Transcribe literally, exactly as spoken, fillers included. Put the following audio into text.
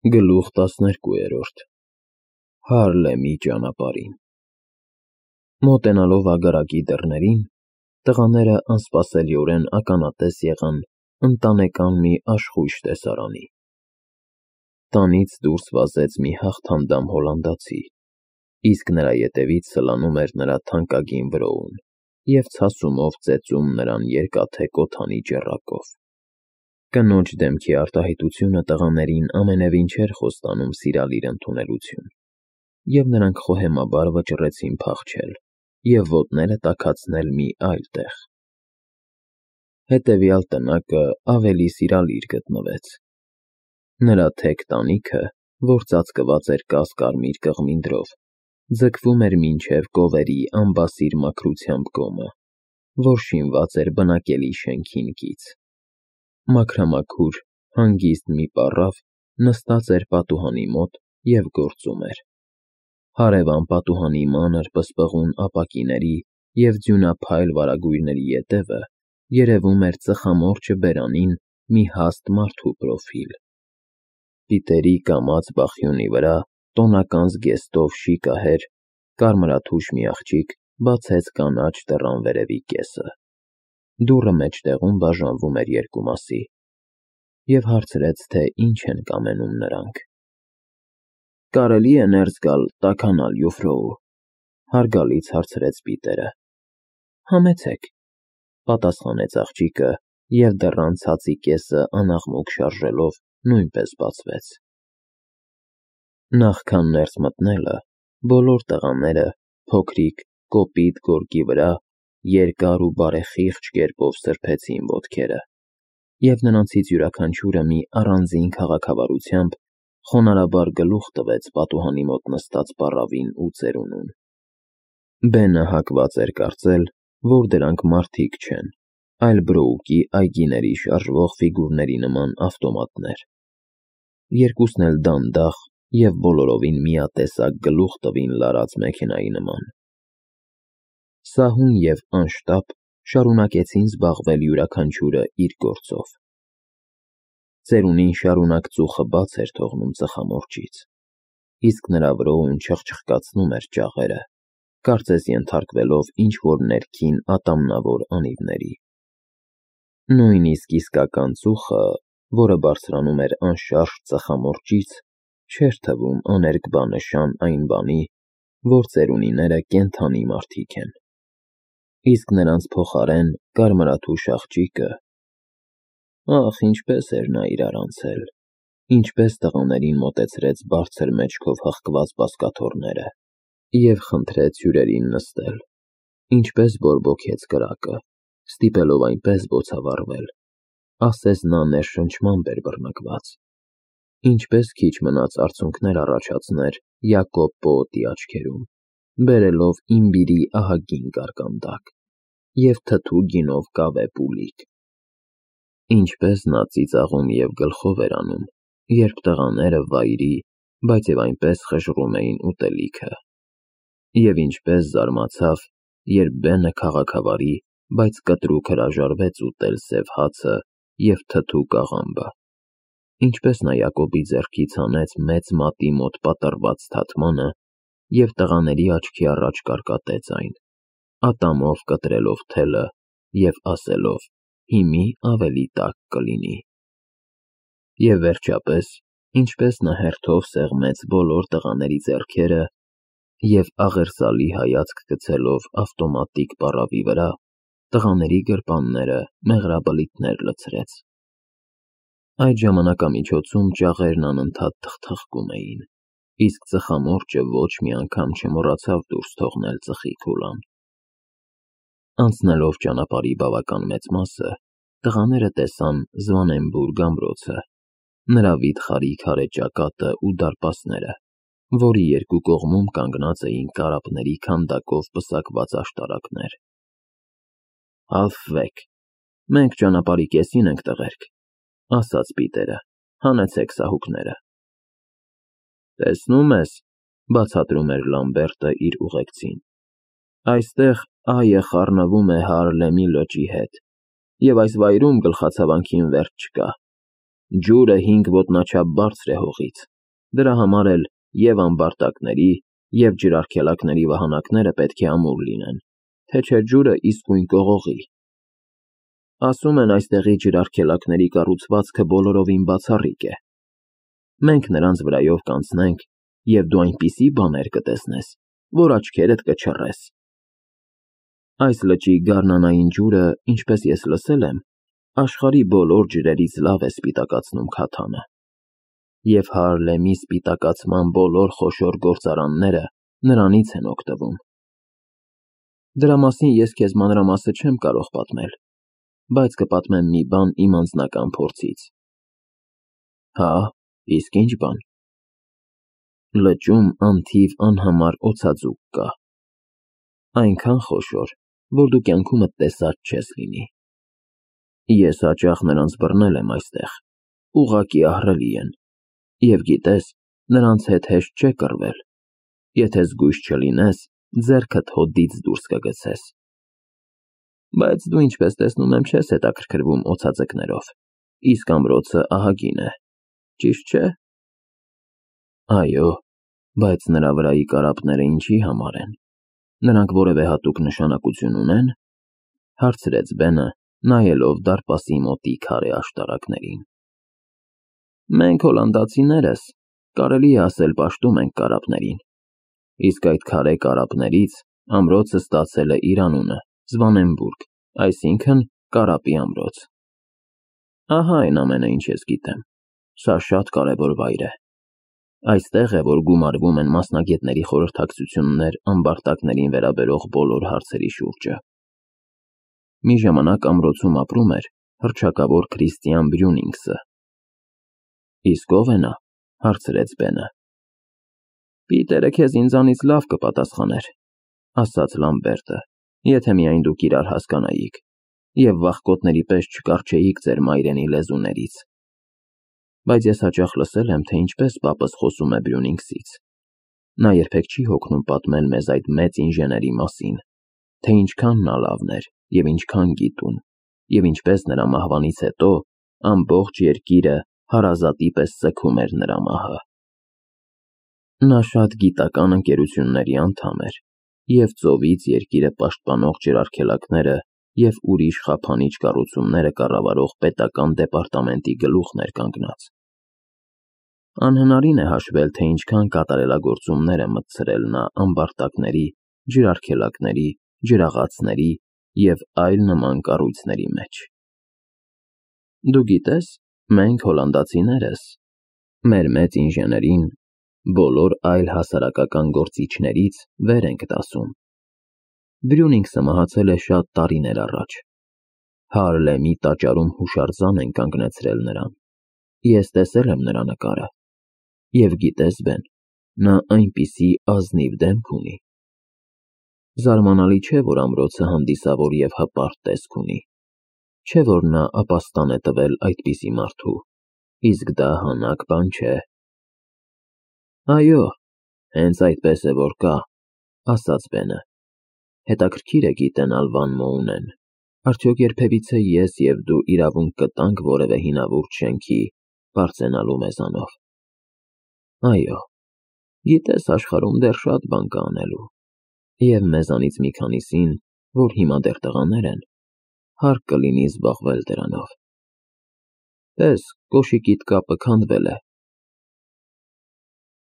Գլուխ տասներկուերորդ Հարլեմի ճանապարհին Մոտենալով ագարակի դռներին, տղաները անսպասելիորեն ականատես եղան ընտանեկան մի աշխույժ տեսարանի. տանից դուրս վազեց մի հաղթանդամ հոլանդացի, իսկ նրա ետևից սլանում էր նրա թանկագին վրոուն և ցասումով ծեծում նրան երկաթե կոթանի ճեռակով: Կնոջ դեմքի արտահայտությունը տղաներին ամենևին չէր խոստանում սիրալիր ընդունելություն, և նրանք խոհեմաբար վճռեցին փախչել և ոտները տաքացնել մի այլ տեղ: Հետևյալ տնակը ավելի սիրալիր գտնվեց: Նրա թեք տանիքը, որ ծածկված էր կաս֊կարմիր կղմինդրով, ձգվում էր մինչև կովերի ամբասիր մաքրությամբ գոմը, որ շինված էր բնակելի շենքին կից: Մաքրամաքուր, հանգիստ մի պառավ նստած էր պատուհանի մոտ և գործում էր: Հարևան պատուհանի մանր պսպղուն ապակիների և ձյունափայլ վարագույրների ետևը երևում էր ծխամորճը բերանին մի հաստ մարդու պրոֆիլ: Պիտերի կամաց բախյունի վրա տոնական զգեստով շիկահեր, կարմրաթուշ մի աղջիկ բացեց կանաչ դռան վերևի կեսը, դուռը մեջտեղում բաժանվում էր երկու մասի, և հարցրեց, թե ինչ են կամենում նրանք: -Կարելի՞ է ներս գալ, տաքանալ, յոֆրո: Հարգալից հարցրեց Պիտերը: -Համեցեք, պատասխանեց աղջիկը և դռան ցածի կեսը անաղմուկ շարժելով նույնպես բացվեց: Նախքան ներս մտնելը, բոլոր տղաները փոքրիկ, կոպիտ գորգի վրա երկար ու բարեխիղճ կերպով սրբեցին ոտքերը, և նրանցից յուրաքանչյուրը մի առանձին քաղաքավարությամբ խոնարհաբար գլուխ տվեց պատուհանի մոտ նստած պառավին ու ծերունուն: Բենը հակված էր կարծել, որ դրանք մարդիկ չեն, այլ Բրոուկի այգիների շարժվող ֆիգուրների նման ավտոմատներ: Երկուսն էլ դանդաղ և բոլորովին միատեսակ գլուխ տվին լարած մեքենայի նման: Սահուն և անշտապ շարունակեցին զբաղվել յուրաքանչյուրը իր գործով: Ծերունին շարունակ ծուխը բաց էր թողնում ծխամորճից, իսկ նրա վրոուն չխչխկացնում էր ճաղերը, կարծես ենթարկվելով ինչ-որ ներքին ատամնավոր անիվների: Նույնիսկ իսկական ծուխը, որը բարձրանում էր անշարժ ծխամորճից, չէր թվում աներկբա նշան այն բանի, որ ծերունիները կենդանի մարդիկ են: Իսկ նրանց փոխարեն կարմրաթուշ աղջիկը… Ահ, ինչպես էր նա իրար անցել, ինչպես տղաներին մոտեցրեց բարձր մեջքով հղկված բազկաթոռները և խնդրեց հյուրերին նստել, ինչպես բորբոքեց կրակը, ստիպելով այնպես բոցավառվել, ասես նա ներշնչմամբ էր բռնկված, ինչպես քիչ մնաց արցունքներ առաջացներ Յակոբ պոոտի աչքերում, բերելովիմբիրի ահագին կարկանդակ և թթու գինով կավե պուլիկ: Ինչպես նա ծիծաղում և գլխով էր անում, երբ տղաները վայրի, բայց և այնպես խժռում էին ուտելիքը: Եվ ինչպես զարմացավ, երբ Բենը քաղաքավարի, բայց կտրուկ հրաժարվեց ուտել սև հացը և թթու կաղամբը: Ինչպես նա Յակոբի ձեռքից հանեց մեծ մատի մոտ պատռված թաթմանը և տղաների աչքի առաջ կարկատեց այն, ատամով կտրելով թելը և ասելով. «Հիմի ավելի տաք կլինի»: Եվ վերջապես, ինչպես նա հերթով սեղմեց բոլոր տղաների ձեռքերը և աղերսալի հայացք գցելով ավտոմատիկ պառավի վրա, տղաների գրպանները մեղրաբլիթներ լցրեց: Այդ ժամանակամիջոցում ճաղերն անընդհատ թխթխկում էին, իսկ ծխամորճը ոչ մի անգամ չմոռացավ դուրս թողնել ծխի քուլան: Անցնելով ճանապարհի բավական մեծ մասը, տղաները տեսան Զվանենբուրգ ամրոցը, նրա վիթխարի քարե ճակատն ու դարպասները, որի երկու կողմում կանգնած էին կարապների քանդակով պսակված աշտարակներ: -Հալֆվեք, մենք ճանապարհի կեսին ենք, տղերք, ասաց Պիտերը, հանեցեք սահուկները: -Տեսնում ես, բացատրում էր Լամբերտը իր ուղեկցին, այստեղ այը խառնվում է Հարլեմի լճի հետ, և այս վայրում գլխացավանքին վերջ չկա: Ջուրը հինգ ոտնաչափ բարձր է հողից, դրա համար էլ և ամբարտակների, և ջրարգելակների վահանակները պետք է ամուր լինեն, թե չէ ջուրը իսկույն կողողի։ Ասում են այստեղի ջրարգելակների կառուցվածքը բոլորովին բացառիկ է։ Մենք նրանց վրայով կանցնենք, և դու այնպիսի բաներ կտեսնես, որ աչքերդ կչռես։ Այս լճի գարնանային ջուրը, ինչպես ես լսել եմ, աշխարհի բոլոր ջրերից լավ է սպիտակացնում քաթանը, և Հարլեմի սպիտակացման բոլոր խոշոր գործարանները նրանից են օգտվում։ Դրա մասին ես քեզ մանրամասը չեմ կարող պատմել, բայց կպատմեմ մի բան իմ անձնական փորձից։ Հա, իսկ ի՞նչ բան։ Լճում անթիվ անհամար օձաձուկ կա, այնքան խոշոր, որ դու կյանքումդ տեսած չես լինի։ Ես հաճախ նրանց բռնել եմ այստեղ, ուղղակի ահռելի են, և գիտես, նրանց հետ հեշտ չէ կռվել, եթե զգույշ չլինես, ձեռքդ հոդից դուրս կգցես։ Բայց դու, ինչպես տեսնում եմ, չես հետաքրքրվում օձաձկներով, իսկ ամրոցը ահագին է, ճիշտ չէ՞։ Այո, բայց նրա վրայի կարապները ինչի համար են, նրանք որևէ հատուկ նշանակություն ունե՞ն, հարցրեց Բենը, նայելով դարպասի մոտի քարե աշտարակներին։ Մենք հոլանդացիներս, կարելի է ասել, պաշտում ենք կարապներին, իսկ այդ քարե կարապներից ամրոցը ստացել է իր անունը՝ Զվանենբուրգ, այսինքն՝ կարապի ամրոց։ Ահա այն ամենը, ինչ ես գիտեմ, սա շատ կարևոր վայր է։ Այստեղ է, որ գումարվում են մասնագետների խորհրդակցություններ ամբարտակներին վերաբերող բոլոր հարցերի շուրջը։ Մի ժամանակ ամրոցում ապրում էր հռչակավոր Քրիստիան Բրյունինգսը։ Իսկ ո՞վ է նա, հարցրեց Բենը։ Պիտերը քեզ ինձանից լավ կպատասխաներ, ասաց Լամբերտը, եթե միայն դուք իրար հասկանայիք, և վախկոտների պես չկառչեիք ձեր մայրենի լեզուներից։ Բայց ես հաճախ լսել եմ, թե ինչպես պապս խոսում է Բրյունինգսից։ Նա երբեք չի հոգնում պատմել մեզ այդ մեծ ինժեների մասին, թե ինչքան նա լավն էր և ինչքան գիտուն, և ինչպես նրա մահվանից հետո ամբողջ երկիրը հարազատի պես սգում էր նրա մահը։ Նա շատ գիտական ընկերությունների անդամ էր, և ծովից երկիրը պաշտպանող ջրարգելակները և ուրիշ խափանիչ կառուցումները կառավարող պետական դեպարտամենտի գլուխն էր կանգնած։ Անհնարին է հաշվել, թե ինչքան կատարելագործումներ է մտցրել նա ամբարտակների, ջրարգելակների, ջրաղացների և այլ նման կառույցների մեջ։ Դու գիտես, մենք հոլանդացիներս մեր մեծ ինժեներին բոլոր այլ հասարակական գործիչներից վեր ենք դասում։ Բրյունինգսը մահացել է շատ տարիներ առաջ։ Հարլեմի տաճարում հուշարձան են կանգնեցրել նրան։ Ես տեսել եմ նրա նկարը։ Եվ գիտես, Բեն, նա այնպիսի ազնիվ դեմք ունի։ Զարմանալի չէ, որ ամրոցը հանդիսավոր և հպարտ տեսք ունի, չէ, որ նա ապաստան է տվել այդպիսի մարդու, իսկ դա հանաք բան չէ։ Այո, հենց այդպես է որ կա, ասաց Բենը։ Հետաքրքիր է գիտենալ, Վան Մոունեն, արդյոք երբևիցե ես և դու իրավունք կտանք որևէ հինավուրց շենքի բարձրանալու մեզանով։ Այո, գիտես, աշխարհում դեռ շատ բան կա անելու, և մեզանից մի քանիսին, որ հիմա դեռ տղաներ են, հարկ կլինի զբաղվել դրանով։ Տես, կոշիկիդ կապը քանդվել է,